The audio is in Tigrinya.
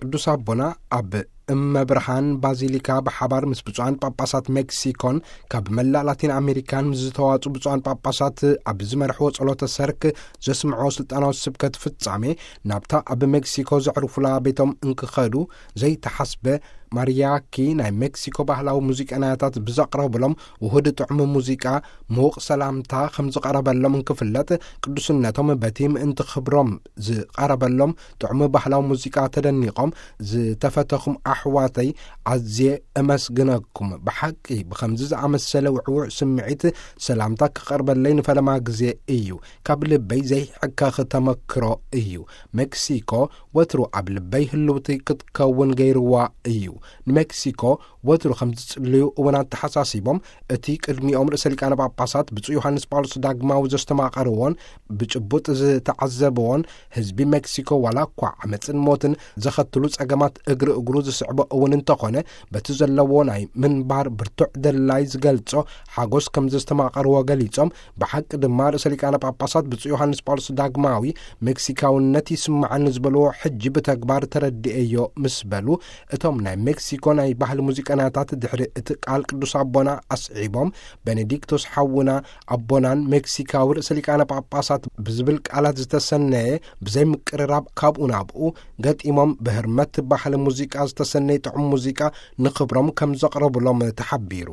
ቅዱስ ኣቦና ኣብ እመ ብርሃን ባዚሊካ ብሓባር ምስ ብፁዓን ጳጳሳት ሜክሲኮን ካብ መላእ ላቲን ኣሜሪካን ምስ ዝተዋጹ ብፁዓን ጳጳሳት ኣብ ዝመርሕዎ ጸሎተ ሰርክ ዘስምዕዎ ስልጣናዊ ስብከት ፍጻሜ፣ ናብታ ኣብ ሜክሲኮ ዘዕርፉላ ቤቶም እንክኸዱ ዘይተሓስበ ማሪያኪ ናይ ሜክሲኮ ባህላዊ ሙዚቀኛታት ብዘቕረብሎም ውሁድ ጥዑም ሙዚቃ ምዉቕ ሰላምታ ከም ዝቐረበሎም እንክፍለጥ፣ ቅዱስነቶም በቲ ምእንቲ ክብሮም ዝቐረበሎም ጥዑም ባህላዊ ሙዚቃ ተደኒቖም፣ "ዝተፈተኹም ኣሕዋተይ፣ ኣዝየ እመስግነኩም። ብሓቂ ብኸምዚ ዝኣመሰለ ውዕዉዕ ስምዒት ሰላምታ ክቐርበለይ ንፈለማ ግዜ እዩ። ካብ ልበይ ዘይሕከኽ ተመክሮ እዩ። ሜክሲኮ ወትሩ ኣብ ልበይ ህልውቲ ክትከውን ገይርዋ እዩ። ንሜክሲኮ ወትሩ ከም ዝጽልዩ እውን ኣተሓሳሲቦም፣ እቲ ቅድሚኦም ርእሰ ሊቃነ ጳጳሳት ብፁዕ ዮሃንስ ጳውሎስ ዳግማዊ ዘስተማቐርዎን ብጭቡጥ ዝተዓዘብዎን፣ ህዝቢ ሜክሲኮ ዋላ እኳ ዓመጽን ሞትን ዘኸትሉ ጸገማት እግሪ እግሩ ዝስዕቦ እውን እንተኾነ፣ በቲ ዘለዎ ናይ ምንባር ብርቱዕ ደላይ ዝገልጾ ሓጎስ ከም ዘስተማቐርዎ ገሊጾም፣ ብሓቂ ድማ ርእሰ ሊቃነ ጳጳሳት ብፁዕ ዮሃንስ ጳውሎስ ዳግማዊ ሜክሲካውነት ይስምዓኒ ዝበልዎ ሕጂ ብተግባር ተረዲኤዮ ምስ በሉ፣ እቶም ናይ ሜክሲኮ ናይ ባህሊ ሙዚቀኛታት ድሕሪ እቲ ቃል ቅዱስ ኣቦና ኣስዒቦም፣ "ቤኔዲክቶስ ሓውና ኣቦናን ሜክሲካዊ ርእሰ ሊቃነ ጳጳሳት" ብዝብል ቃላት ዝተሰነየ ብዘይ ምቅርራብ ካብኡ ናብኡ ገጢሞም፣ ብህርመት ባህሊ ሙዚቃ ዝተሰነየ ጥዑም ሙዚቃ ንኽብሮም ከም ዘቕረቡሎም ተሓቢሩ።